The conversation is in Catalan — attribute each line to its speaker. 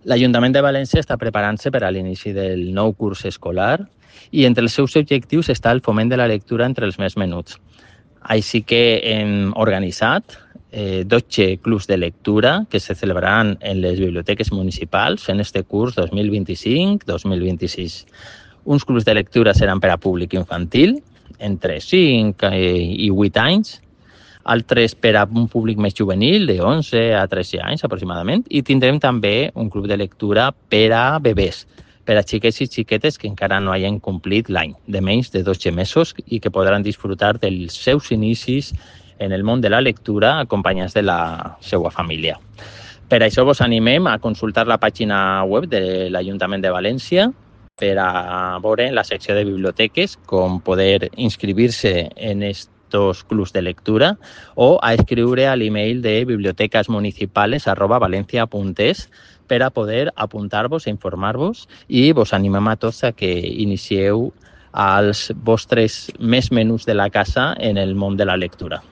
Speaker 1: L'Ajuntament de València està preparant-se per a l'inici del nou curs escolar i entre els seus objectius està el foment de la lectura entre els més menuts. Així que hem organitzat 12 clubs de lectura que se celebraran en les biblioteques municipals en este curs 2025-2026. Uns clubs de lectura seran per a públic infantil, entre 5 i 8 anys, altres per a un públic més juvenil, de 11 a 13 anys aproximadament, i tindrem també un club de lectura per a bebès, per a xiquets i xiquetes que encara no hagin complit l'any, de menys de 12 mesos, i que podran disfrutar dels seus inicis en el món de la lectura acompanyats de la seva família. Per això vos animem a consultar la pàgina web de l'Ajuntament de València per a veure en la secció de biblioteques com poder inscriure-se en estos clubs de lectura o a escriure a l'email de bibliotecasmunicipales@valencia.es per a poder apuntar-vos e informar-vos, i vos animem a tots a que inicieu als vostres més menuts de la casa en el món de la lectura.